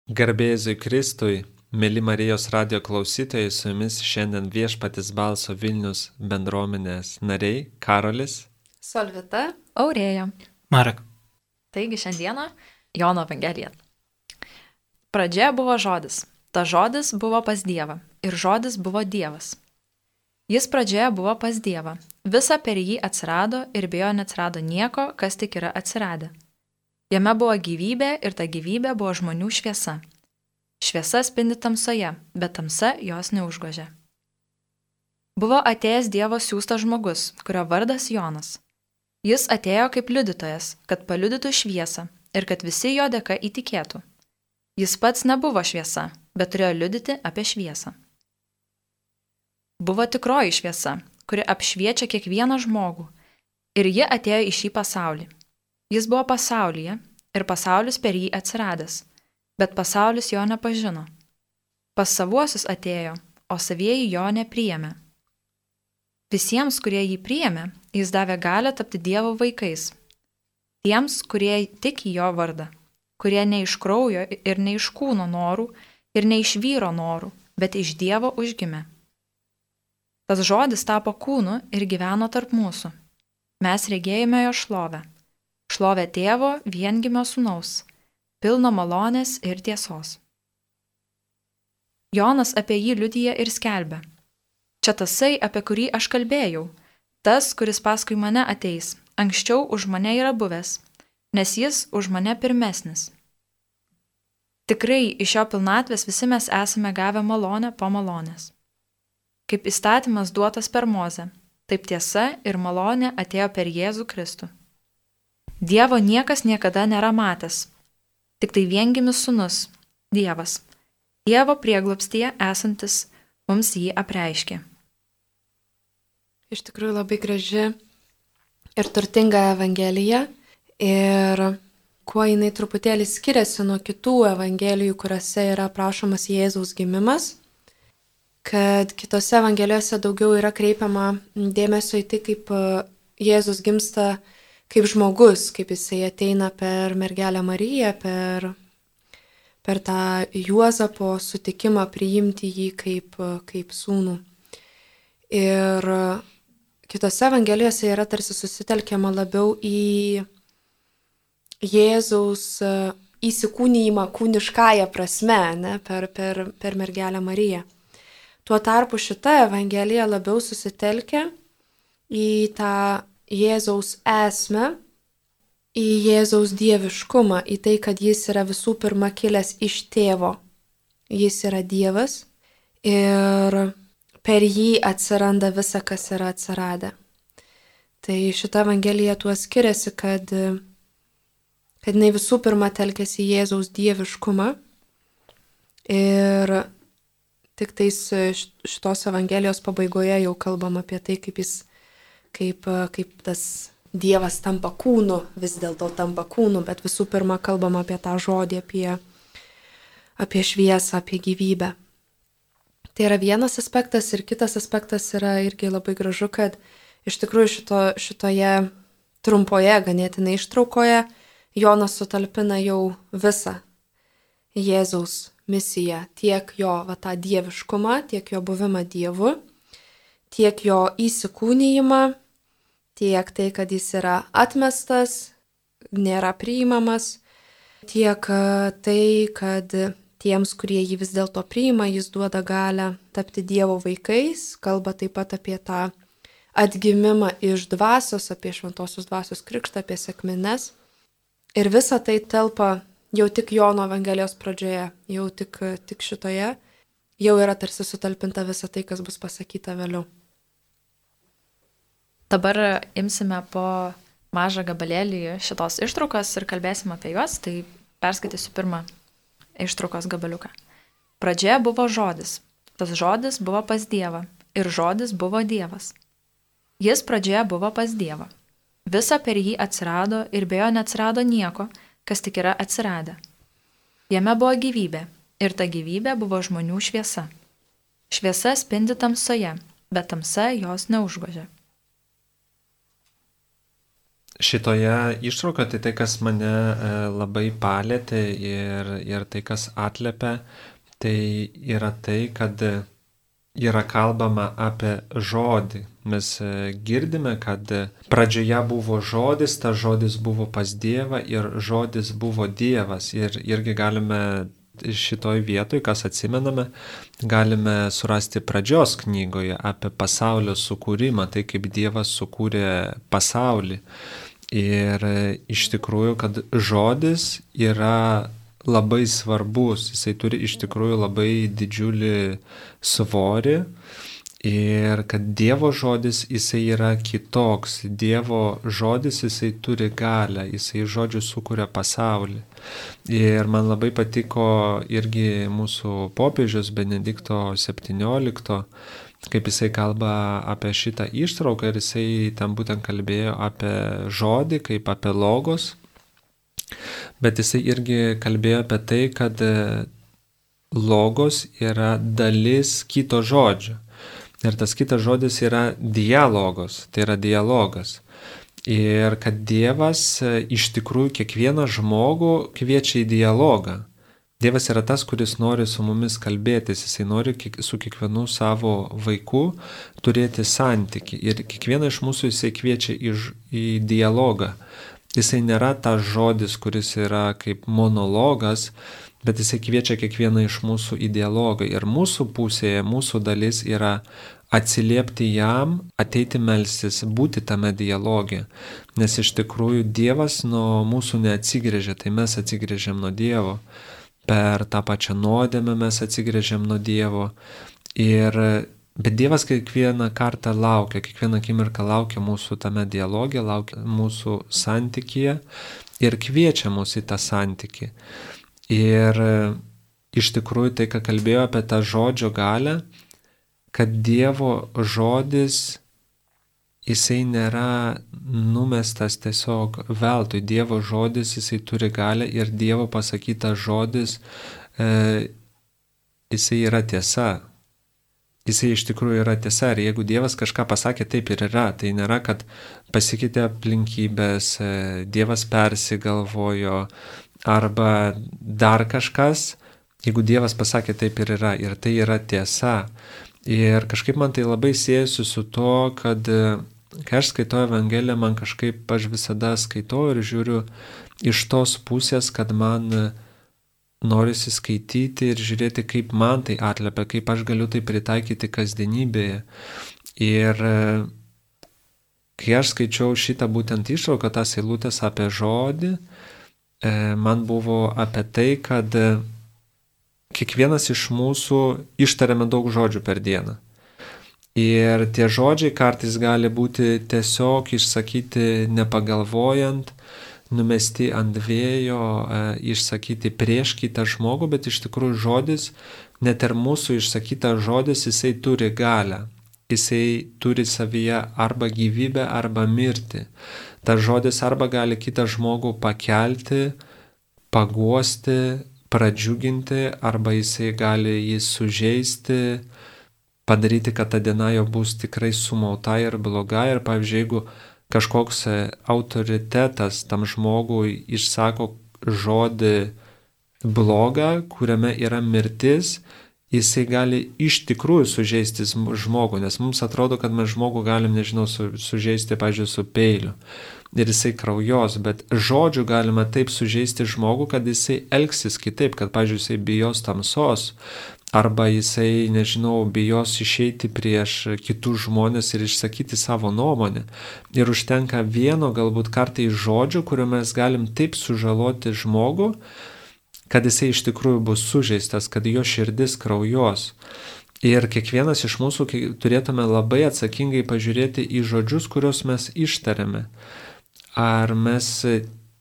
Garbė Jėzui Kristui, mėly Marijos radijo klausytojai, su jumis šiandien Viešpaties balso Vilnius bendruomenės nariai Karolis, Solvita, Aurėja. Marek. Taigi šiandieną Jono Evangelija. Pradžioje buvo žodis. Ta žodis buvo pas Dievą ir žodis buvo Dievas. Jis pradžioje buvo pas Dievą. Visa per jį atsirado ir be jo neatsirado nieko, kas tik yra atsiradę. Jame buvo gyvybė ir ta gyvybė buvo žmonių šviesa. Šviesa spindi tamsoje, bet tamsa jos neužgožė. Buvo atėjęs Dievo siųstas žmogus, kurio vardas Jonas. Jis atėjo kaip liudytojas, kad paliudytų šviesą ir kad visi jo dėka įtikėtų. Jis pats nebuvo šviesa, bet turėjo liudyti apie šviesą. Buvo tikroji šviesa, kuri apšviečia kiekvieną žmogų, ir ji atėjo į šį pasaulį. Jis buvo pasaulyje ir pasaulis per jį atsiradęs, bet pasaulis jo nepažino. Pas savuosius atėjo, o savieji jo nepriėmė. Visiems, kurie jį priėmė, jis davė galią tapti Dievo vaikais. Tiems, kurie tik į jo vardą, kurie ne iš kraujo ir ne iš kūno norų ir ne iš vyro norų, bet iš Dievo užgimė. Tas žodis tapo kūnu ir gyveno tarp mūsų. Mes regėjome jo šlovę. Šlovę Tėvo viengimio sūnaus, pilno malonės ir tiesos. Jonas apie jį liudija ir skelbia. Čia tasai, apie kurį aš kalbėjau, tas, kuris paskui mane ateis, anksčiau už mane yra buvęs, nes jis už mane pirmesnis. Tikrai iš jo pilnatvės visi mes esame gavę malonę po malonės. Kaip įstatymas duotas per Mozę, taip tiesa ir malonė atėjo per Jėzų Kristų. Dievo niekas niekada nėra matęs, tik tai viengimis sūnus, Dievas, Dievo prieglobstyje esantis, mums jį apreiškė. iš tikrųjų labai graži ir turtinga Evangelija ir kuo jinai truputėlį skiriasi nuo kitų Evangelijų, kuriuose yra aprašomas Jėzaus gimimas, kad kitose Evangelijose daugiau yra kreipiama dėmesio į tai, kaip Jėzus gimsta kaip žmogus, kaip jisai ateina per mergelę Mariją, per tą Juozapo sutikimą priimti jį kaip sūnų. Ir kitose Evangelijose yra tarsi susitelkiama labiau į Jėzaus įsikūnijimą kūniškąją prasme, ne, per mergelę Mariją. Tuo tarpu šita Evangelija labiau susitelkia į tą Jėzaus esmę, į Jėzaus dieviškumą, į tai, kad jis yra visų pirma kilęs iš tėvo. Jis yra Dievas ir per jį atsiranda visa, kas yra atsiradę. Tai šita Evangelija tuo skiriasi, kad jinai visų pirma telkiasi į Jėzaus dieviškumą ir tik tais šitos Evangelijos pabaigoje jau kalbam apie tai, kaip tas Dievas tampa kūnu, vis dėlto tampa kūnu, bet visų pirma kalbam apie tą žodį, apie šviesą, apie gyvybę. Tai yra vienas aspektas ir kitas aspektas yra irgi labai gražu, kad iš tikrųjų šitoje trumpoje ganėtinai ištraukoje Jonas sutalpina jau visą Jėzaus misiją, tiek jo tą dieviškumą, tiek jo buvimą Dievu, tiek jo įsikūnijimą, tiek tai, kad jis yra atmestas, nėra priimamas, tiek tai, kad tiems, kurie jį vis dėlto priima, jis duoda galią tapti Dievo vaikais, kalba taip pat apie tą atgimimą iš dvasios, apie šventosios dvasios krikštą, apie sekmines. Ir visa tai telpa jau tik Jono Evangelijos pradžioje, jau tik šitoje, jau yra tarsi sutalpinta visa tai, kas bus pasakyta vėliau. Dabar imsime po mažą gabalėlį šitos ištraukos ir kalbėsime apie juos, tai perskaitysiu pirmą ištraukos gabaliuką. Pradžioje buvo žodis, tas žodis buvo pas Dievą ir žodis buvo Dievas. Jis pradžioje buvo pas Dievą. Visa per jį atsirado ir be jo neatsirado nieko, kas tik yra atsiradę. Jame buvo gyvybė ir ta gyvybė buvo žmonių šviesa. Šviesa spindi tamsoje, bet tamsa jos neužgožė. šitoje ištraukoje tai, kas mane labai palėtė ir tai, kas atliepia, tai yra tai, kad yra kalbama apie žodį. Mes girdime, kad pradžioje buvo žodis, tas žodis buvo pas Dievą ir žodis buvo Dievas. Ir irgi galime šitoj vietoj, kas atsimename, galime surasti pradžios knygoje apie pasaulio sukūrimą, tai kaip Dievas sukūrė pasaulį. Ir iš tikrųjų, kad žodis yra labai svarbus, jisai turi iš tikrųjų labai didžiulį svorį ir kad Dievo žodis jisai yra kitoks, Dievo žodis jisai turi galią, jisai žodžiu sukuria pasaulį. Ir man labai patiko irgi mūsų popiežius Benedikto 17, kaip jisai kalba apie šitą ištrauką ir jisai ten būtent kalbėjo apie žodį, kaip apie logos. Bet jisai irgi kalbėjo apie tai, kad logos yra dalis kito žodžio. Ir tas kitas žodis yra dialogos, tai yra dialogas. Ir kad Dievas iš tikrųjų kiekvieną žmogų kviečia į dialogą. Dievas yra tas, kuris nori su mumis kalbėtis, jisai nori su kiekvienu savo vaiku turėti santykį. Ir kiekvieną iš mūsų jisai kviečia į dialogą. Jisai nėra tas žodis, kuris yra kaip monologas, bet jisai kviečia kiekvieną iš mūsų į dialogą. Ir mūsų pusėje, mūsų dalis yra atsiliepti jam, ateiti melstis, būti tame dialoge. Nes iš tikrųjų Dievas nuo mūsų neatsigrėžia, tai mes atsigrėžiam nuo Dievo. Per tą pačią nuodėmę mes atsigrėžiam nuo Dievo. Bet Dievas kiekvieną kartą laukia, kiekvieną akimirką laukia mūsų tame dialoge, laukia mūsų santykyje ir kviečia mus į tą santykį. Ir iš tikrųjų tai, ką kalbėjo apie tą žodžio galią, kad Dievo žodis, jisai nėra numestas tiesiog veltui. Dievo žodis, jisai turi galią ir Dievo pasakytas žodis, jisai yra tiesa. Jisai iš tikrųjų yra tiesa ir jeigu Dievas kažką pasakė, taip ir yra. Tai nėra, kad pasikeitė aplinkybės, Dievas persigalvojo arba dar kažkas. Jeigu Dievas pasakė, taip ir yra. Ir tai yra tiesa. Ir kažkaip man tai labai siejasi su to, kad kai aš skaitau Evangeliją, man kažkaip aš visada skaitau ir žiūriu iš tos pusės, kad man norisi skaityti ir žiūrėti, kaip man tai atliepia, kaip aš galiu tai pritaikyti kasdienybėje. Ir kai aš skaičiau šitą būtent ištrauką, tas eilutės apie žodį, man buvo apie tai, kad kiekvienas iš mūsų ištariame daug žodžių per dieną. Ir tie žodžiai kartais gali būti tiesiog išsakyti nepagalvojant, numesti ant vėjo, išsakyti prieš kitą žmogų, bet iš tikrųjų žodis, net ir mūsų išsakytas žodis, jisai turi galią. Jisai turi savyje arba gyvybę, arba mirtį. Tas žodis arba gali kitą žmogų pakelti, paguosti, pradžiuginti, arba jisai gali jį sužeisti, padaryti, kad ta diena jo bus tikrai sumauta ir bloga. Ir pavyzdžiui, jeigu kažkoks autoritetas tam žmogui išsako žodį blogą, kuriame yra mirtis, jisai gali iš tikrųjų sužeisti žmogų, nes mums atrodo, kad mes žmogų galim, sužeisti, pavyzdžiui, su peiliu. Ir jisai kraujos, bet žodžiu galima taip sužeisti žmogų, kad jisai elgsis kitaip, kad, pavyzdžiui, jisai bijos tamsos, arba jisai, bijos išeiti prieš kitus žmonės ir išsakyti savo nuomonę. Ir užtenka vieno galbūt kartai žodžio, kuriuo mes galim taip sužaloti žmogų, kad jisai iš tikrųjų bus sužeistas, kad jo širdis kraujos. Ir kiekvienas iš mūsų turėtume labai atsakingai pažiūrėti į žodžius, kuriuos mes ištariame. Ar mes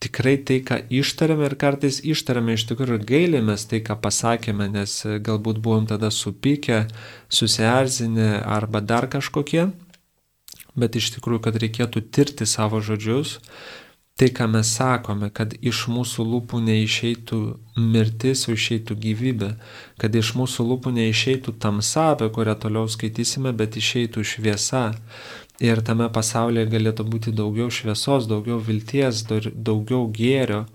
tikrai tai, ką ištariame ir kartais ištariame iš tikrųjų ir gailėmės tai, ką pasakėme, nes galbūt buvom tada supykę, susierzinę arba dar kažkokie, bet iš tikrųjų, kad reikėtų tirti savo žodžius, tai, ką mes sakome, kad iš mūsų lūpų neišeitų mirtis, o išeitų gyvybė, kad iš mūsų lūpų neišeitų tamsa, apie kurią toliau skaitysime, bet išeitų šviesa. ir tame pasaulyje galėtų būti daugiau šviesos, daugiau vilties, daugiau gėrio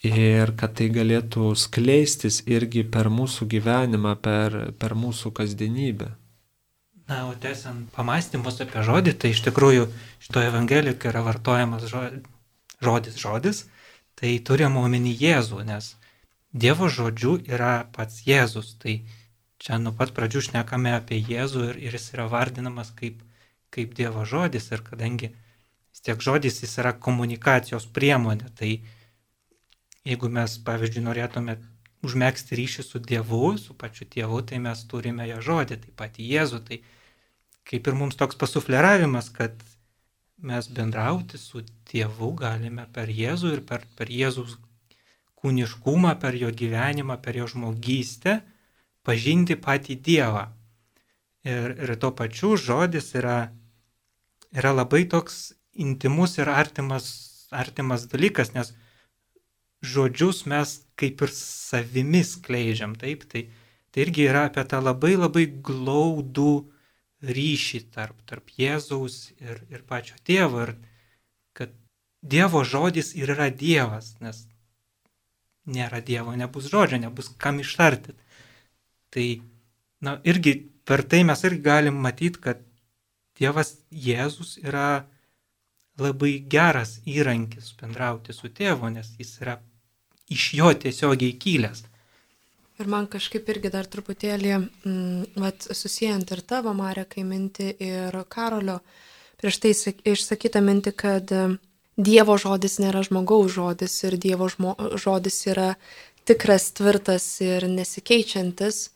ir kad tai galėtų skleistis irgi per mūsų gyvenimą, per mūsų kasdienybę. Na, o tęsiant pamastymus apie žodį, tai iš tikrųjų šitoje Evangelijoje yra vartojamas žodis, tai turime omeny Jėzų, nes Dievo žodžiu yra pats Jėzus. Tai čia nuo pat pradžių šnekame apie Jėzų ir jis yra vardinamas kaip Dievo žodis. Ir kadangi vis tiek žodis jis yra komunikacijos priemonė, tai jeigu mes, pavyzdžiui, norėtume užmegzti ryšį su Dievu, su pačiu Tėvu, tai mes turime jo žodį, taip pat Jėzų. Tai kaip ir mums toks pasufleravimas, kad mes bendrauti su Tėvu galime per Jėzų ir per Jėzus kūniškumą, per jo gyvenimą, per jo žmogystę, pažinti patį Dievą. Ir tuo pačiu žodis yra labai toks intimus ir artimas dalykas, nes žodžius mes kaip ir savimi skleidžiam, taip, tai irgi yra apie tą labai labai glaudų ryšį tarp Jėzaus ir pačio Tėvo, ir kad Dievo žodis ir yra Dievas, nes nėra Dievo, nebus žodžio, nebus kam ištarti. Tai, irgi per tai mes irgi galim matyti, kad Dievas Jėzus yra labai geras įrankis bendrauti su Tėvu, nes jis yra iš jo tiesiogiai kilęs. Ir man kažkaip irgi dar truputėlį, susijant ir tavo, Marekai, mintį ir Karolio, prieš tai išsakytą mintį, kad Dievo žodis nėra žmogaus žodis ir Dievo žodis yra tikras, tvirtas ir nesikeičiantis.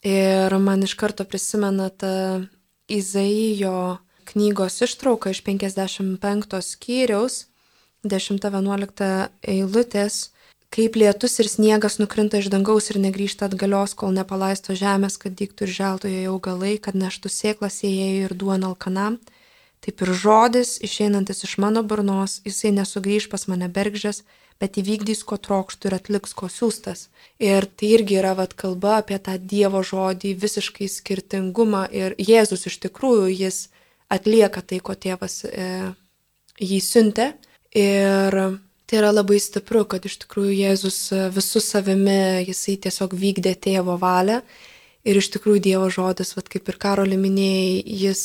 Ir man iš karto prisimena ta Izaijo knygos ištrauka iš 55 skyriaus, 10-11 eilutės, kaip lietus ir sniegas nukrinta iš dangaus ir negrįžta atgalios, kol nepalaisto žemės, kad dygtų ir želtų joje augalai, kad neštų sėklas sėjėjui ir duoną alkanam. Taip ir žodis, išeinantis iš mano burnos, jisai nesugrįž pas mane bergždžias, bet įvykdys, ko trokštų ir atliks, ko siųstas. Ir tai irgi yra kalba apie tą Dievo žodį, visiškai skirtingumą. Ir Jėzus iš tikrųjų, jis atlieka tai, ko Tėvas jį siuntė. Ir tai yra labai stipru, kad iš tikrųjų Jėzus visų savimi, jisai tiesiog vykdė Tėvo valią. Ir iš tikrųjų Dievo žodis, kaip ir Karoli minėjai,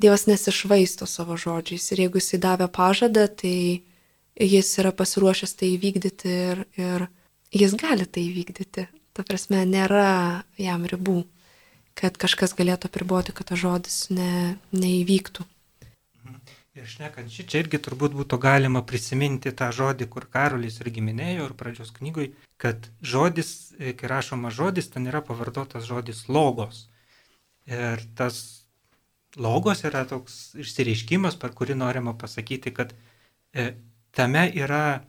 Dievas nesišvaisto savo žodžiais. Ir jeigu jisai davė pažadą, tai jis yra pasiruošęs tai įvykdyti ir jis gali tai įvykdyti. Ta prasme, nėra jam ribų, kad kažkas galėtų apriboti, kad tas žodis neįvyktų. Ir šnekant čia irgi turbūt būtų galima prisiminti tą žodį, kur Karolis irgi minėjo ir pradžios knygoj, kad žodis, kai rašoma žodis, ten yra pavartotas žodis logos. Ir tas logos yra toks išsireiškimas, per kurį norima pasakyti, kad tame yra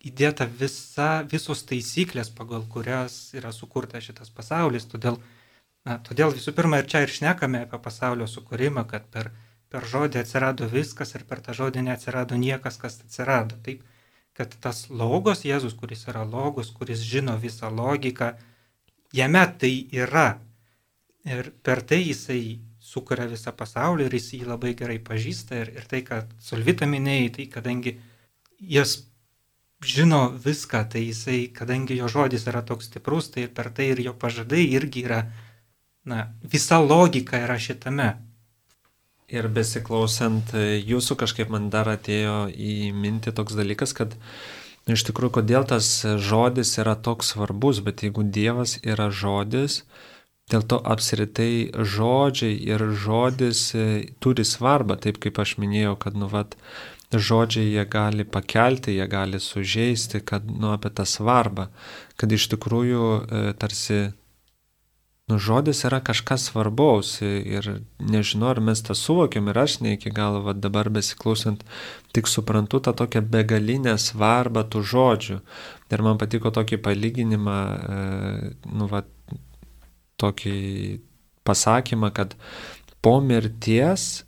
įdėta visos taisyklės, pagal kurias yra sukurtas šitas pasaulis. Todėl visų pirma ir čia ir šnekame apie pasaulio sukūrimą, kad per žodį atsirado viskas ir per tą žodį neatsirado niekas, kas atsirado. Taip, kad tas logos, Jėzus, kuris yra logos, kuris žino visą logiką, jame tai yra. Ir per tai jisai sukuria visą pasaulį ir jis jį labai gerai pažįsta. Ir tai, kad Solvita minėjai, tai kadangi jis žino viską, tai jisai, kadangi jo žodis yra toks stiprus, tai per tai ir jo pažadai irgi yra, visa logika yra šitame. Ir besiklausant jūsų kažkaip man dar atėjo į mintį toks dalykas, kad iš tikrųjų, kodėl tas žodis yra toks svarbus, bet jeigu Dievas yra žodis, dėl to apskritai žodžiai ir žodis turi svarbą, taip kaip aš minėjau, kad žodžiai jie gali pakelti, jie gali sužeisti, kad apie tą svarbą, kad iš tikrųjų tarsi žodis yra kažkas svarbaus ir nežinau, ar mes tą suvokiam ir aš ne iki galo dabar besiklausant, tik suprantu tą tokią begalinę svarbą tų žodžių. Ir man patiko tokį palyginimą, tokį pasakymą, kad po mirties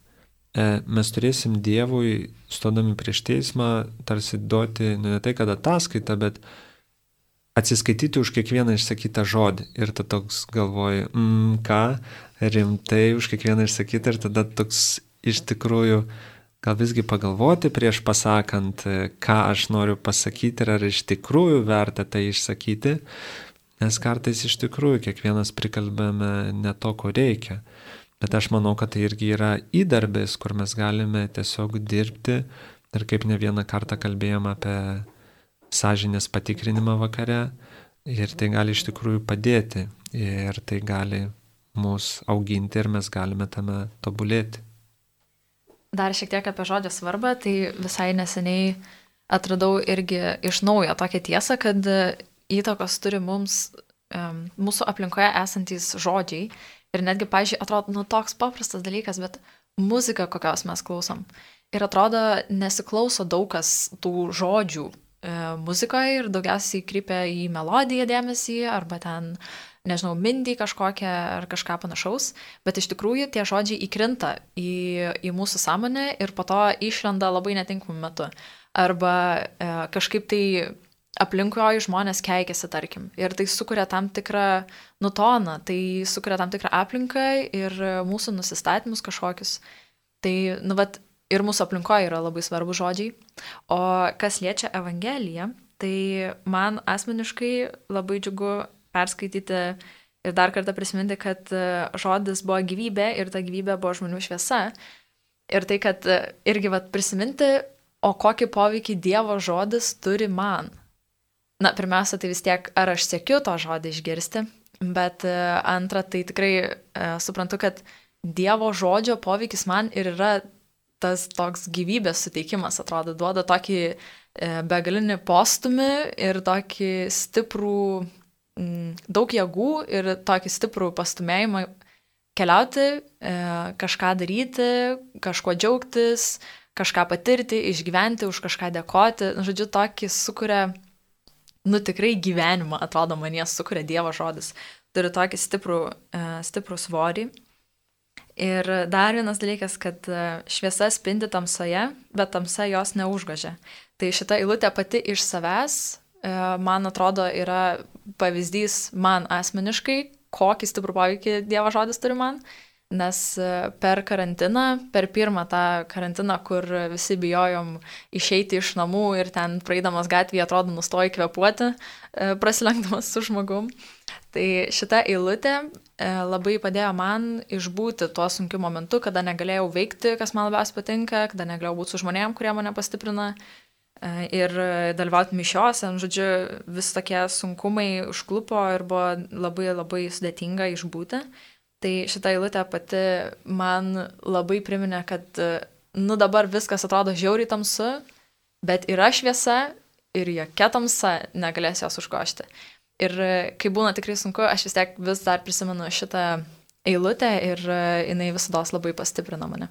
mes turėsim Dievui, stodami prieš teismą, tarsi duoti, ne tai, kad ataskaitą, bet atsiskaityti už kiekvieną išsakytą žodį. Ir tada toks galvoji, ką, rimtai už kiekvieną išsakytą, ir tada toks iš tikrųjų gal visgi pagalvoti prieš pasakant, ką aš noriu pasakyti ir ar iš tikrųjų verta tai išsakyti, nes kartais iš tikrųjų kiekvienas prikalbame ne to, ko reikia. Bet aš manau, kad tai irgi yra įdarbis, kur mes galime tiesiog dirbti ir kaip ne vieną kartą kalbėjom apie sąžinės patikrinimą vakare ir tai gali iš tikrųjų padėti ir tai gali mus auginti ir mes galime tame tobulėti. Dar šiek tiek apie žodžio svarbą, tai visai neseniai atradau irgi iš naujo tokią tiesą, kad įtakos turi mums mūsų aplinkoje esantys žodžiai. Ir netgi, pavyzdžiui, atrodo, toks paprastas dalykas, bet muzika, kokios mes klausom. Ir atrodo, nesiklauso daug kas tų žodžių muzikoje ir daugiausiai krypia į melodiją dėmesį arba ten, nežinau, mintį kažkokią ar kažką panašaus. Bet iš tikrųjų tie žodžiai įkrinta į mūsų sąmonę ir po to išlenda labai netinkamu metu. Arba kažkaip tai aplinkui žmonės keikiasi, tarkim. Ir tai sukuria tam tikrą nutoną, tai sukuria tam tikrą aplinką ir mūsų nusistatymus kažkokius. Tai, ir mūsų aplinkoje yra labai svarbus žodžiai. O kas liečia Evangeliją, tai man asmeniškai labai džiugu perskaityti ir dar kartą prisiminti, kad žodis buvo gyvybė ir ta gyvybė buvo žmonių šviesa. Ir tai, kad irgi prisiminti, o kokį poveikį Dievo žodis turi man. Na, pirmiausia, tai vis tiek, ar aš siekiu to žodį išgirsti, bet antra, tai tikrai suprantu, kad Dievo žodžio poveikis man ir yra tas toks gyvybės suteikimas, atrodo, duoda tokį begalinį postumį ir tokį stiprų, daug jėgų ir tokį stiprų pastumėjimą keliauti, kažką daryti, kažkuo džiaugtis, kažką patirti, išgyventi, už kažką dėkoti. Žodžiu, tokį sukuria tikrai gyvenimą, atrodo, manie sukuria Dievo žodis. Turi tokį stiprų svorį. Ir dar vienas dalykas, kad šviesa spindi tamsoje, bet tamsa jos neužgožia. Tai šita eilutė pati iš savęs, man atrodo, yra pavyzdys man asmeniškai, kokį stiprų poveikį Dievo žodis turi man. Nes per karantiną, per pirmą tą karantiną, kur visi bijojom išeiti iš namų ir ten praeidamas gatvėje atrodo nustoji kvėpuoti, prasilenkdamas su žmogum. Tai šita eilutė labai padėjo man išbūti tuo sunkiu momentu, kada negalėjau veikti, kas man labiausiai patinka, kada negalėjau būti su žmonėm, kurie mane pastiprina ir dalyvauti mišiose. Žodžiu, vis tokie sunkumai užklupo ir buvo labai labai sudėtinga išbūti. Tai šitą eilutę pati man labai priminė, kad dabar viskas atrodo žiauriai tamsu, bet yra šviesa ir jokia tamsa negalės jos užgožti. Ir kai būna tikrai sunku, aš vis tiek vis dar prisimenu šitą eilutę ir jinai visados labai pastiprina mane.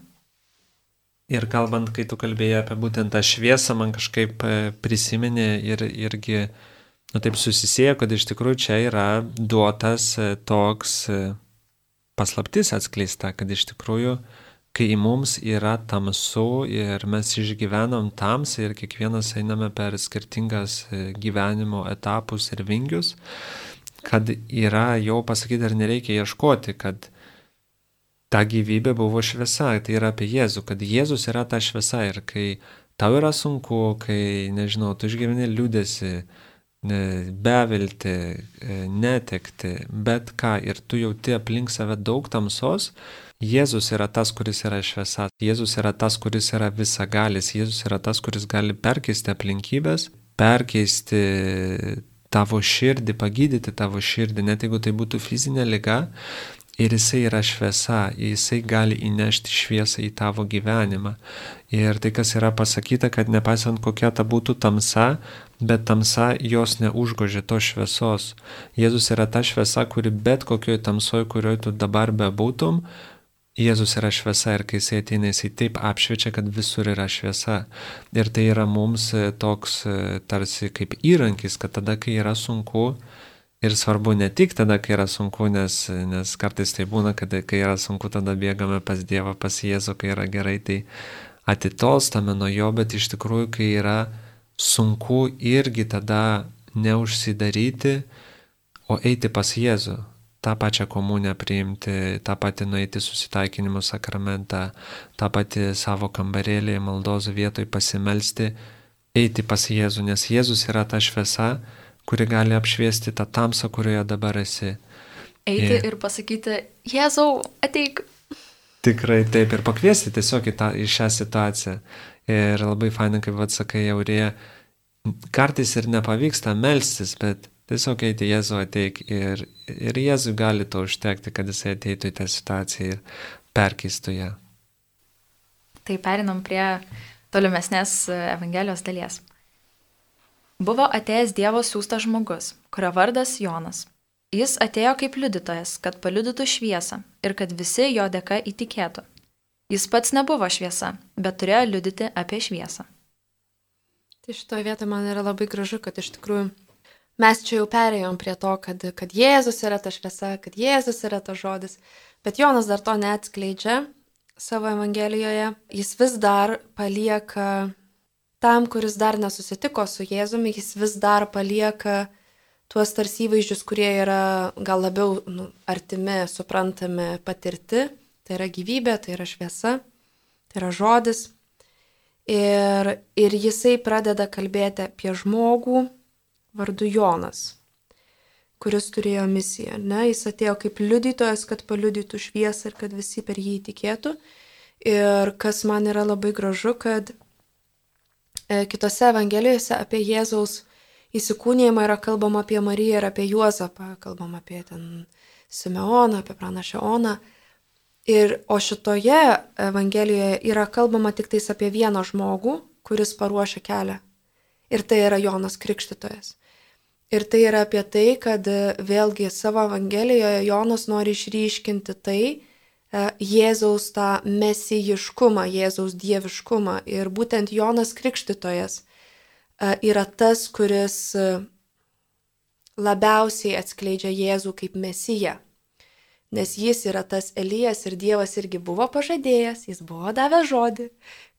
Ir kalbant, kai tu kalbėjai apie būtent tą šviesą, man kažkaip prisiminė ir irgi, taip susisieja, kad iš tikrųjų čia yra duotas toks paslaptis atskleista, kad iš tikrųjų, kai mums yra tamsu ir mes išgyvenam tamsą ir kiekvienas einame per skirtingas gyvenimo etapus ir vingius, kad yra jau pasakyti, ar nereikia ieškoti, kad ta gyvybė buvo šviesa, tai yra apie Jėzų, kad Jėzus yra ta šviesa ir kai tau yra sunku, kai, nežinau, tu išgyveni liūdėsi, bevilti, netekti, bet ką, ir tu jauti aplink save daug tamsos, Jėzus yra tas, kuris yra šviesa, Jėzus yra tas, kuris yra visagalis, Jėzus yra tas, kuris gali perkeisti aplinkybės, perkeisti tavo širdį, pagydyti tavo širdį, net jeigu tai būtų fizinė liga, ir jisai yra šviesa, jisai gali įnešti šviesą į tavo gyvenimą. Ir tai, kas yra pasakyta, kad nepaisant kokia ta būtų tamsa, bet tamsa jos neužgožia tos šviesos. Jėzus yra ta šviesa, kuri bet kokioj tamsoj, kurioj tu dabar bebūtum, Jėzus yra šviesa ir kai jisai ateina, jisai taip apšviečia, kad visur yra šviesa. Ir tai yra mums toks tarsi kaip įrankis, kad tada, kai yra sunku, ir svarbu ne tik tada, kai yra sunku, nes kartais tai būna, kad kai yra sunku, tada bėgame pas Dievą, pas Jėzų, kai yra gerai, tai atitolstame nuo jo, bet iš tikrųjų, kai yra sunku, irgi tada neužsidaryti, o eiti pas Jėzų, tą pačią komuniją priimti, tą patį nueiti susitaikinimo sakramentą, tą patį savo kambarėlį, maldos vietoj pasimelsti, eiti pas Jėzų, nes Jėzus yra ta šviesa, kuri gali apšviesti tą tamsą, kurioje dabar esi. Eiti ir pasakyti, Jėzau, ateik. Tikrai taip, ir pakviesti tiesiog į šią situaciją. Ir labai fainai, kaip atsakai, Aurėja, kartais ir nepavyksta melstis, bet tiesiog eiti Jėzau ateik ir Jėzui gali to užtekti, kad jisai ateitų į tą situaciją ir perkeistų ją. Tai perinam prie tolimesnės Evangelijos dalies. Buvo atėjęs Dievo siųstas žmogus, kurio vardas Jonas. Jis atėjo kaip liudytojas, kad paliudytų šviesą ir kad visi jo dėka įtikėtų. Jis pats nebuvo šviesa, bet turėjo liudyti apie šviesą. Tai šitoje vietoje man yra labai gražu, kad iš tikrųjų mes čia jau perėjom prie to, kad Jėzus yra ta šviesa, kad Jėzus yra ta žodis, bet Jonas dar to neatskleidžia savo Evangelijoje. Jis vis dar palieka tam, kuris dar nesusitiko su Jėzumi, jis vis dar palieka tuos tarsi įvaizdžius, kurie yra gal labiau artimi, suprantami, patirti. Tai yra gyvybė, tai yra šviesa, tai yra žodis. Ir jisai pradeda kalbėti apie žmogų vardu Jonas, kuris turėjo misiją. Ne? Jis atėjo kaip liudytojas, kad paliudytų šviesą ir kad visi per jį įtikėtų. Ir kas man yra labai gražu, kad kitose Evangelijose apie Jėzaus įsikūnijimą yra kalbama apie Mariją ir apie Juozapą, kalbama apie ten Simeoną, apie pranašę Oną. O šitoje Evangelijoje yra kalbama tik tais apie vieną žmogų, kuris paruošia kelią. Ir tai yra Jonas Krikštytojas. Ir tai yra apie tai, kad vėlgi savo Evangelijoje Jonas nori išryškinti tai, Jėzaus tą mesijiškumą, Jėzaus dieviškumą. Ir būtent Jonas Krikštytojas yra tas, kuris labiausiai atskleidžia Jėzų kaip mesiją. Nes jis yra tas Elijas ir Dievas irgi buvo pažadėjęs, jis buvo davęs žodį,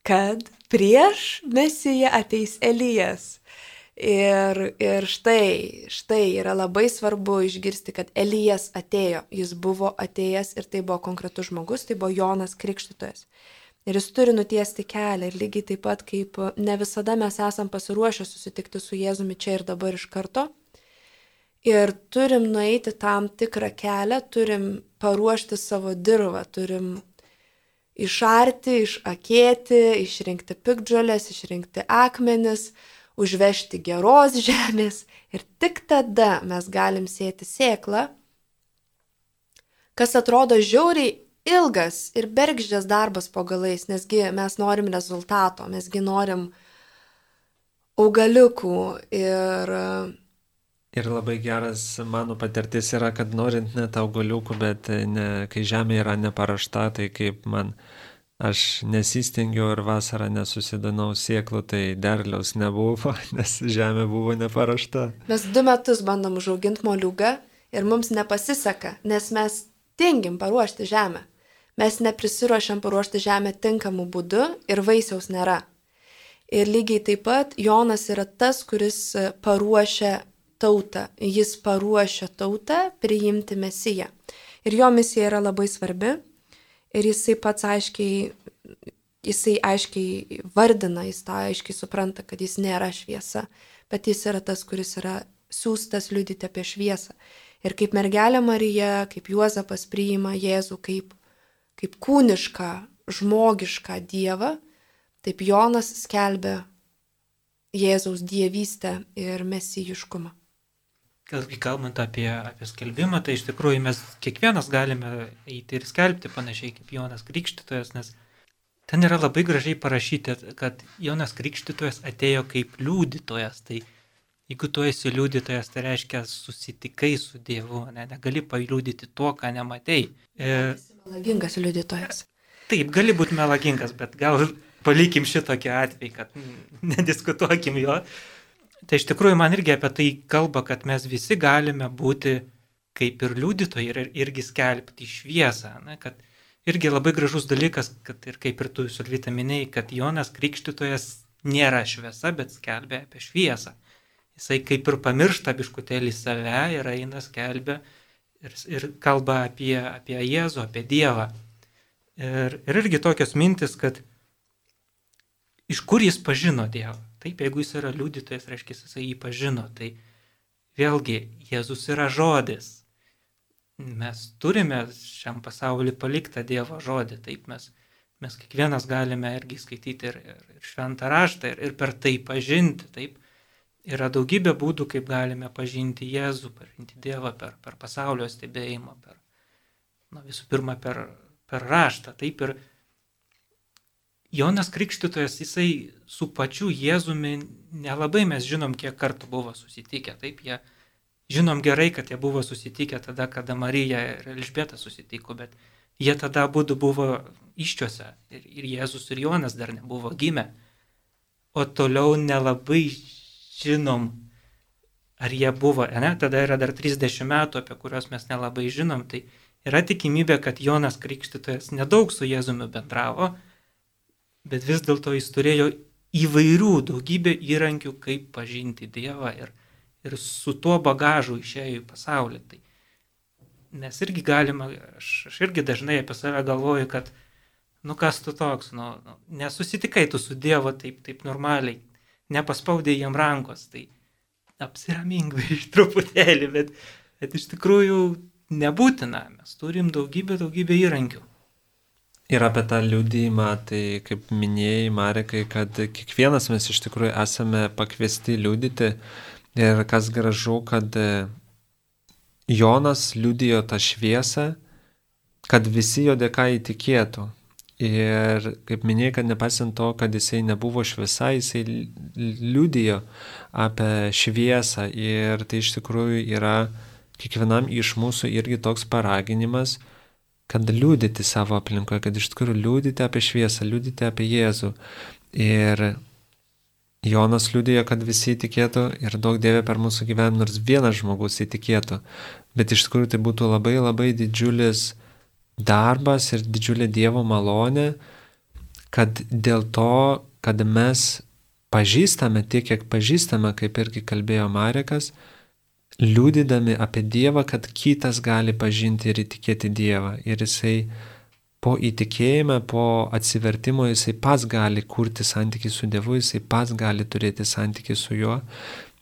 kad prieš mesiją ateis Elijas. Ir štai yra labai svarbu išgirsti, kad Elijas atėjo, jis buvo atėjęs ir tai buvo konkretus žmogus, tai buvo Jonas Krikštytojas. Ir jis turi nutiesti kelią ir lygiai taip pat, kaip ne visada mes esam pasiruošę susitikti su Jėzumi čia ir dabar iš karto. Ir turim nueiti tam tikrą kelią, turim paruošti savo dirvą, turim išarti, išakėti, išrinkti piktžolės, išrinkti akmenis, užvežti geros žemės ir tik tada mes galim sėti sėklą, kas atrodo žiauriai ilgas ir bergždžias darbas po galais, nesgi mes norim rezultato, mesgi norim augaliukų Ir labai geras mano patirtis yra, kad norint net augaliukų, bet kai žemė yra neparašta, tai kaip aš nesistengiau ir vasarą nesusidanau sėklų, tai derliaus nebuvo, nes žemė buvo neparašta. Mes 2 metus bandom užauginti moliūgą ir mums nepasiseka, nes mes tingim paruošti žemę. Mes neprisiruošiam paruošti žemę tinkamų būdų ir vaisiaus nėra. Ir lygiai taip pat Jonas yra tas, kuris paruošia tautą. Jis paruošia tautą priimti Mesiją. Ir jo misija yra labai svarbi. Ir jisai pats aiškiai vardina, jis tą aiškiai supranta, kad jis nėra šviesa, bet jis yra tas, kuris yra siųstas liudyti apie šviesą. Ir kaip mergelė Marija, kaip Juozapas priima Jėzų kaip kūnišką, žmogišką Dievą, taip Jonas skelbia Jėzaus dievystę ir mesijiškumą. Kalbant apie skelbimą, tai iš tikrųjų mes kiekvienas galime eiti ir skelbti panašiai kaip Jonas Krikštytojas, nes ten yra labai gražiai parašyti, kad Jonas Krikštytojas atėjo kaip liudytojas. Tai jeigu tu esi liudytojas, tai reiškia susitikai su Dievu, negali paliudyti to, ką nematei. Melagingas liudytojas. Taip, gali būti melagingas, bet gal palikim šitokį atvejį, kad nediskutuokim jo. Tai iš tikrųjų man irgi apie tai kalba, kad mes visi galime būti kaip ir liudytojai ir irgi skelbti šviesą. Kad irgi labai gražus dalykas, kad ir kaip ir tu Solvita minėjai, kad Jonas Krikštytojas nėra šviesa, bet skelbia apie šviesą. jisai kaip ir pamiršta biškutėlį save ir eina skelbia ir kalba apie Jėzų, apie Dievą. Ir irgi tokios mintis, kad iš kur jis pažino Dievą. Taip, jeigu jis yra liudytojas, reiškia, jisai jį pažino. Tai vėlgi, Jėzus yra žodis. Mes turime šiam pasauliu paliktą Dievo žodį. Taip, mes kiekvienas galime irgi skaityti ir šventą raštą ir per tai pažinti. Taip, yra daugybė būdų, kaip galime pažinti Jėzų, pažinti Dievą per pasaulio stebėjimą, visų pirma per raštą. Taip, ir Jonas Krikštytojas, jisai su pačiu Jėzumi nelabai mes žinom, kiek kartų buvo susitikę. Taip, žinom gerai, kad jie buvo susitikę tada, kada Marija ir Elžbieta susitiko, bet jie tada abudu buvo iščiuose ir Jėzus ir Jonas dar nebuvo gimę. O toliau nelabai žinom, ar jie buvo, tada yra dar 30 metų, apie kuriuos mes nelabai žinom, tai yra tikimybė, kad Jonas Krikštytojas nedaug su Jėzumi bendravo, bet vis dėlto jis turėjo įvairių daugybę įrankių, kaip pažinti Dievą ir su tuo bagažu išėjo į pasaulį. Tai mes irgi galime, aš irgi dažnai apie save galvoju, kad kas tu toks, nesusitikai tu su Dievu taip normaliai, nepaspaudė jam rankos, tai apsiramink iš truputėlį, bet iš tikrųjų nebūtina, mes turim daugybę įrankių. Ir apie tą liudijimą, tai kaip minėjai, Marekai, kad kiekvienas mes iš tikrųjų esame pakviesti liudyti ir kas gražu, kad Jonas liudijo tą šviesą, kad visi jo dėka įtikėtų. Ir kaip minėjai, kad nepaisant to, kad jisai nebuvo šviesa, jisai liudijo apie šviesą ir tai iš tikrųjų yra kiekvienam iš mūsų irgi toks paraginimas, kad liudyti savo aplinkoje, kad iš tikrųjų liudyti apie šviesą, liudyti apie Jėzų. Ir Jonas liudijo, kad visi įtikėtų ir daug Dieve per mūsų gyvenimą, nors vienas žmogus įtikėtų. Bet iš tikrųjų tai būtų labai didžiulis darbas ir didžiulė Dievo malonė, kad dėl to, kad mes pažįstame tiek, kiek pažįstame, kaip irgi kalbėjo Marekas, liudydami apie Dievą, kad kitas gali pažinti ir įtikėti Dievą. Ir jisai po įtikėjimą, po atsivertimo, jisai pats gali kurti santykį su Dievu, jisai pats gali turėti santykį su juo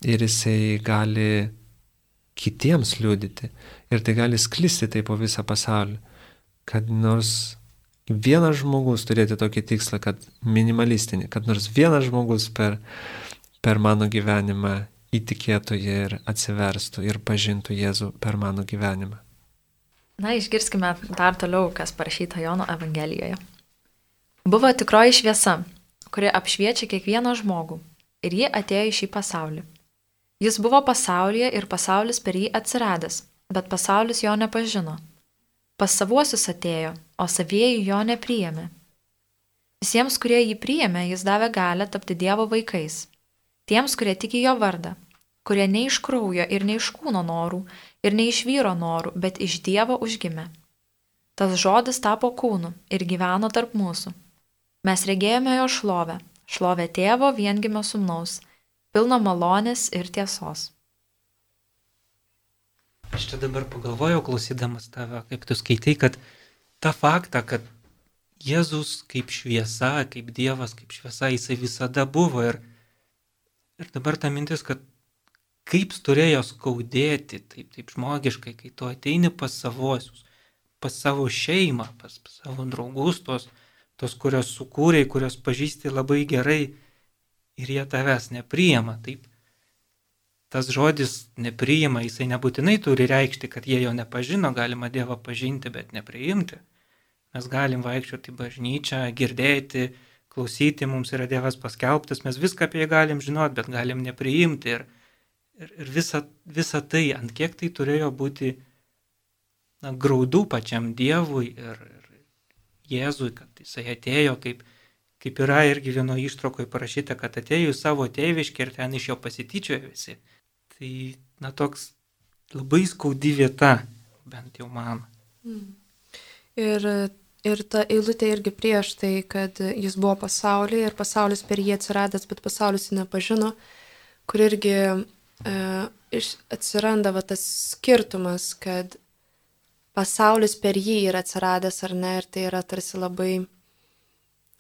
ir jisai gali kitiems liudyti. Ir tai gali sklisti tai po visą pasaulį. Kad nors vienas žmogus turėti tokį tikslą, kad minimalistinį, kad nors vienas žmogus per mano gyvenimą įtikėtų ir atsiverstų ir pažintų Jėzų per mano gyvenimą. Išgirskime dar toliau, kas parašyta Jono Evangelijoje. Buvo tikroji šviesa, kuri apšviečia kiekvieną žmogų, ir ji atėjo į šį pasaulį. Jis buvo pasaulyje ir pasaulis per jį atsiradęs, bet pasaulis jo nepažino. Pas savuosius atėjo, o savieji jo nepriėmė. Visiems, kurie jį priėmė, jis davė galią tapti Dievo vaikais. Tiems, kurie tiki jo vardą, kurie ne iš kraujo ir ne iš kūno norų, ir ne iš vyro norų, bet iš Dievo užgimė. Tas žodis tapo kūnu ir gyveno tarp mūsų. Mes regėjome jo šlovę, šlovę Tėvo viengimio sūnaus, pilno malonės ir tiesos. Aš čia dabar pagalvojau, klausydamas tave, kaip tu skaitai, kad tą faktą, kad Jėzus kaip šviesa, kaip Dievas, kaip šviesa, jisai visada buvo ir dabar ta mintis, kad kaip turėjo skaudėti, taip žmogiškai, kai tu ateini pas savosius, pas savo šeimą, pas savo draugus, tos, kurios sukūrei, kurios pažįsti labai gerai ir jie tavęs nepriima. Taip, tas žodis nepriima, jisai nebūtinai turi reikšti, kad jie jo nepažino, galima Dievą pažinti, bet nepriimti. Mes galim vaikščioti į bažnyčią, girdėti, klausyti, mums yra Dievas paskelbtas, mes viską apie jį galim žinoti, bet galim nepriimti. Ir visa tai, ant kiek tai turėjo būti graudų pačiam Dievui ir Jėzui, kad jisai atėjo, kaip yra irgi vieno ištraukoje parašyta, kad atėjo į savo tėviškę ir ten iš jo pasityčiojo visi. Tai toks labai skaudi vieta, bent jau man. Ir ta eilutė irgi prieš tai, kad jis buvo pasaulyje ir pasaulis per jį atsiradęs, bet pasaulis jį nepažino, kur irgi atsiranda va tas skirtumas, kad pasaulis per jį yra atsiradęs ar ne, ir tai yra tarsi labai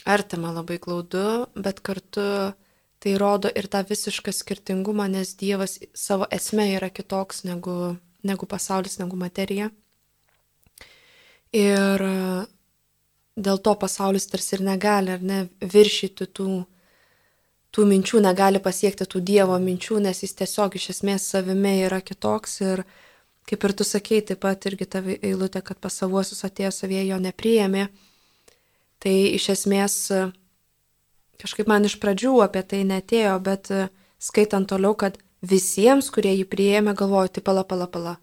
artima, labai glaudu, bet kartu tai rodo ir tą visišką skirtingumą, nes Dievas savo esme yra kitoks negu pasaulis, negu materija. Ir dėl to pasaulis tarsi ir negali, ar ne, viršyti tų minčių, negali pasiekti tų Dievo minčių, nes jis tiesiog iš esmės savime yra kitoks. Ir kaip ir tu sakei, taip pat irgi ta eilutė, kad pas savuosius atėjo, savie jo nepriėmė. Tai iš esmės kažkaip man iš pradžių apie tai neatėjo, bet skaitant toliau, kad visiems, kurie jį priėmė, galvoju, tai pala.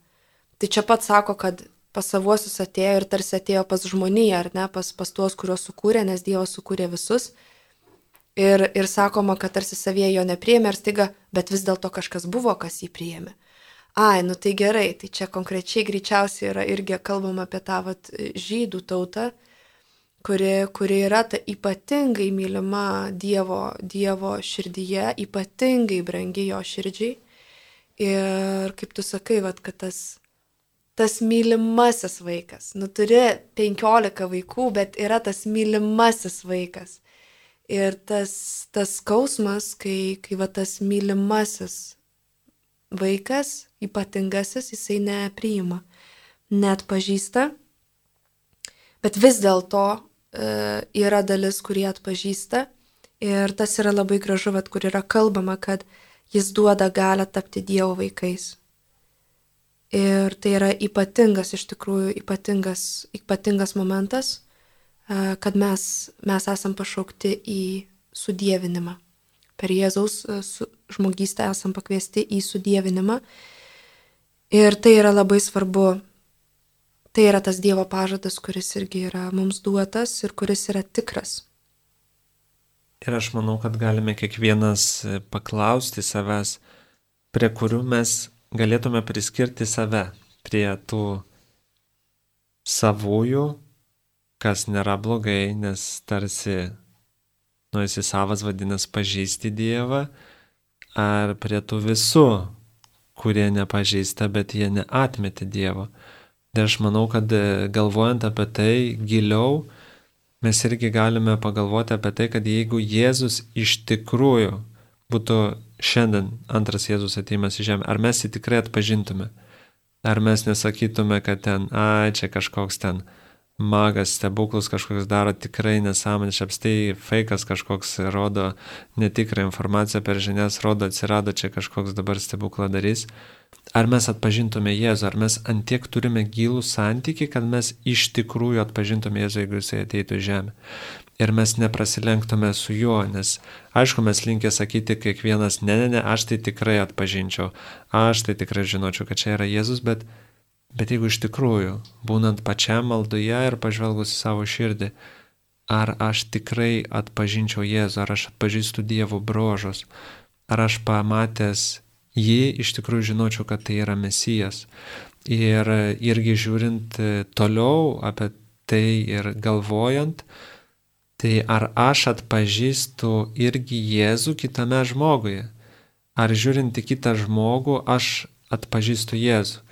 Tai čia pat sako, kad pas savuosius atėjo ir tarsi atėjo pas žmoniją, ar ne, pas tuos, kuriuos sukūrė, nes Dievas sukūrė visus. Ir sakoma, kad tarsi savie jo nepriėmė ir staiga, bet vis dėlto kažkas buvo, kas jį priėmė. Nu tai gerai, tai čia konkrečiai greičiausiai yra irgi kalbama apie tą žydų tautą, kuri yra ta ypatingai mylima Dievo širdyje, ypatingai brangi jo širdžiai. Ir kaip tu sakai, kad tas mylimasis vaikas, turi 15 vaikų, bet yra tas mylimasis vaikas. Ir tas skausmas, kai tas mylimasis vaikas, ypatingasis, jisai nepriima, net pažįsta, bet vis dėlto yra dalis, kurie atpažįsta. Ir tas yra labai gražu, kur yra kalbama, kad jis duoda galią tapti Dievo vaikais. Ir tai yra ypatingas, iš tikrųjų ypatingas momentas, kad mes esam pašaukti į sudievinimą. Per Jėzaus žmogystę esam pakviesti į sudievinimą. Ir tai yra labai svarbu. Tai yra tas Dievo pažadas, kuris irgi yra mums duotas ir kuris yra tikras. Ir aš manau, kad galime kiekvienas paklausti savęs, prie kurių mes galėtume priskirti save, prie tų savųjų, kas nėra blogai, nes tarsi, esi savas, vadinasi, pažįsti Dievą, ar prie tų visų, kurie nepažįsta, bet jie neatmetė Dievo. Ir aš manau, kad galvojant apie tai giliau, mes irgi galime pagalvoti apie tai, kad jeigu Jėzus iš tikrųjų būtų šiandien antras Jėzus atėjimas į žemę, ar mes jį tikrai atpažintume? Ar mes nesakytume, kad čia kažkoks ten magas, stebuklus kažkoks daro, tikrai nesąmonė, apstai feikas kažkoks rodo netikrą informaciją per žinias, rodo atsirado čia kažkoks dabar stebuklą darys. Ar mes atpažintume Jėzų, ar mes antiek turime gilų santykį, kad mes iš tikrųjų atpažintume Jėzų, jeigu jisai ateitų į žemę. Ir mes neprasilenktume su juo, nes aišku, mes linkę sakyti kiekvienas, ne, aš tai tikrai atpažinčiau, aš tai tikrai žinočiau, kad čia yra Jėzus, bet jeigu iš tikrųjų, būnant pačiam maldoje ir pažvelgus į savo širdį, ar aš tikrai atpažinčiau Jėzų, ar aš atpažįstu Dievo bruožus, ar aš pamatęs jį iš tikrųjų žinočiau, kad tai yra Mesijas. Ir irgi žiūrint toliau apie tai ir galvojant, tai ar aš atpažįstu irgi Jėzų kitame žmoguje, ar žiūrint į kitą žmogų, aš atpažįstu Jėzų.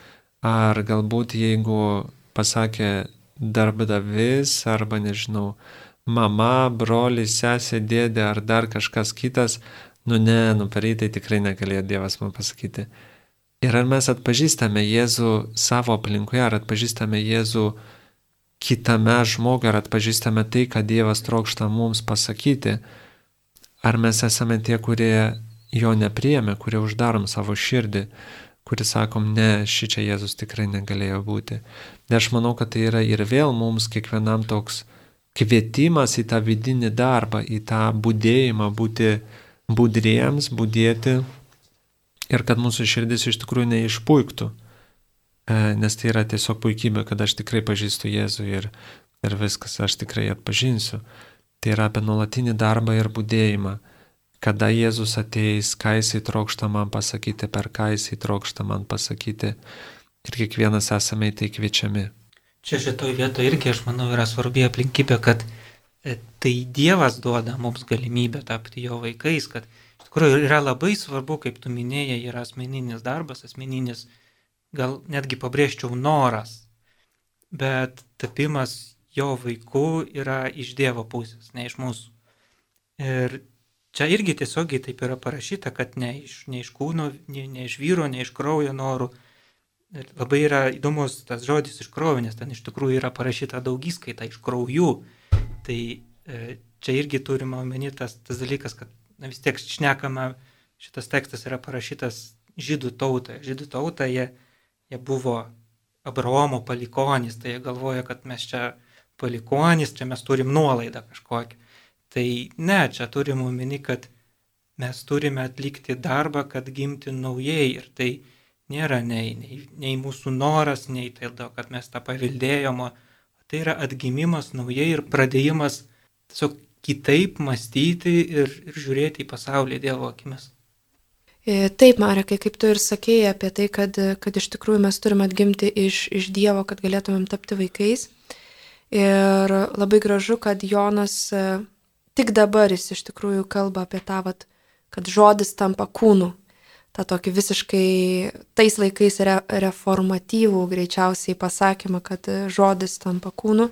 Ar galbūt jeigu pasakė darbdavys arba nežinau, mama, brolis, sesė, dėdė ar dar kažkas kitas, per tai tikrai negalėjo Dievas man pasakyti. Ir ar mes atpažįstame Jėzų savo aplinkoje, ar atpažįstame Jėzų kitame žmogui, ar atpažįstame tai, ką Dievas trokšta mums pasakyti, ar mes esame tie, kurie jo nepriėmė, kurie uždarom savo širdį, kuris sakom, ne, šičia Jėzus tikrai negalėjo būti. Ir aš manau, kad tai yra ir vėl mums kiekvienam toks kvietimas į tą vidinį darbą, į tą budėjimą, būti budriems, budėti ir kad mūsų širdis iš tikrųjų neišpuiktų, nes tai yra tiesiog puikybė, kad aš tikrai pažįstu Jėzų ir viskas, aš tikrai atpažinsiu. Tai yra apie nuolatinį darbą ir budėjimą. Kada Jėzus ateis, ką jisai trokšta man pasakyti, per ką jisai trokšta man pasakyti. Ir kiekvienas esame į tai kviečiami. Čia šitoj vietoje irgi, aš manau, yra svarbi aplinkybė, kad tai Dievas duoda mums galimybę tapti jo vaikais, kad iš tikrųjų yra labai svarbu, kaip tu minėjai, yra asmeninis darbas, asmeninis, gal netgi pabrėžčiau, noras. Bet tapimas jo vaiku yra iš Dievo pusės, ne iš mūsų. Ir čia irgi tiesiogiai taip yra parašyta, kad ne iš kūno, ne iš vyro, ne iš kraujo norų. Ir labai yra įdomus tas žodis iš kraujo, nes ten iš tikrųjų yra parašyta daugiskaita iš kraujų. Tai čia irgi turime omeny tas dalykas, kad vis tiek šnekama, šitas tekstas yra parašytas žydų tautai. Žydų tauta jie buvo Abraomo palikonys, tai jie galvoja, kad mes čia palikonys, čia mes turim nuolaidą kažkokią. Tai ne, čia turim omeny, kad mes turime atlikti darbą, kad gimti naujai. Ir tai nėra nei mūsų noras, nei tai, kad mes tą paveldėjom, tai yra atgimimas naujai ir pradėjimas tiesiog kitaip mąstyti ir žiūrėti į pasaulį Dievo akimis. Taip, Marekai, kaip tu ir sakėjai apie tai, kad iš tikrųjų mes turime atgimti iš Dievo, kad galėtumėm tapti vaikais. Ir labai gražu, kad Jonas tik dabar jis iš tikrųjų kalba apie tą, kad žodis tampa kūnu. Ta tokį visiškai tais laikais reformatyvų greičiausiai pasakymą, kad žodis tampa kūnu.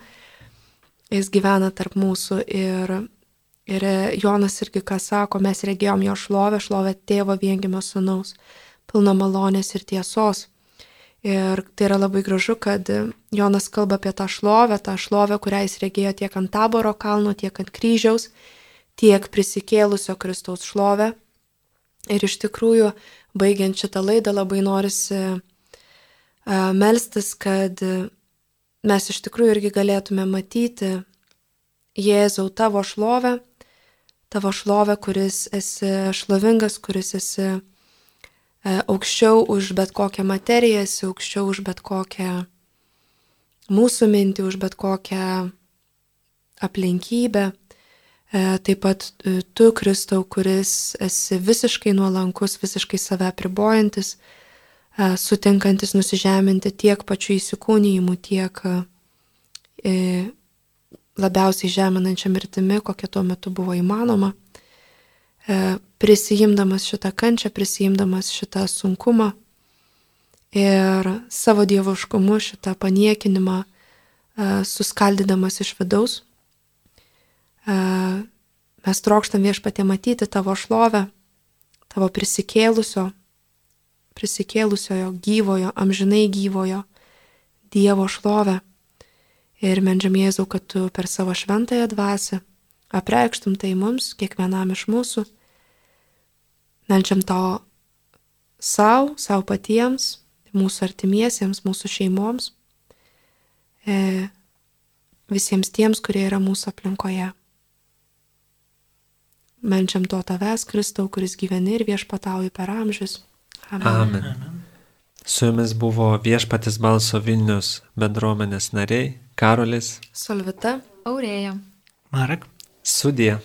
Jis gyvena tarp mūsų ir Jonas irgi ką sako, mes regėjom jo šlovę tėvo viengimio sūnaus, pilną malonės ir tiesos. Ir tai yra labai gražu, kad Jonas kalba apie tą šlovę, kurią jis regėjo tiek ant Taboro kalno, tiek ant kryžiaus, tiek prisikėlusio Kristaus šlovę. Ir iš tikrųjų, baigiant šitą laidą, labai norisi melstis, kad mes iš tikrųjų irgi galėtume matyti Jėzau tavo šlovę, kuris esi šlovingas, kuris esi aukščiau už bet kokią materiją, esi aukščiau už bet kokią mūsų mintį, už bet kokią aplinkybę. Taip pat tu, Kristau, kuris esi visiškai nuolankus, visiškai save apribojantis, sutinkantis nusižeminti tiek pačių įsikūnijimų, tiek labiausiai žeminančia mirtimi, kokia tuo metu buvo įmanoma, prisijimdamas šitą kančią, prisijimdamas šitą sunkumą ir savo dievuškumu šitą paniekinimą suskaldydamas iš vidaus. Mes trokštam Viešpatie matyti tavo šlovę, tavo prisikėlusiojo gyvojo, amžinai gyvojo Dievo šlovę. Ir meldžiam Jėzau, kad tu per savo šventąją dvasią apreikštum tai mums, kiekvienam iš mūsų. Meldžiam to savo patiems, mūsų artimiesiems, mūsų šeimoms, visiems tiems, kurie yra mūsų aplinkoje. Meldžiam to tavęs, Kristau, kuris gyveni ir viešpatauji per amžius. Amen. Su jumis buvo Viešpaties balso Vilnius bendruomenės nariai Karolis, Solvita, Aurėja. Marek. Sudie.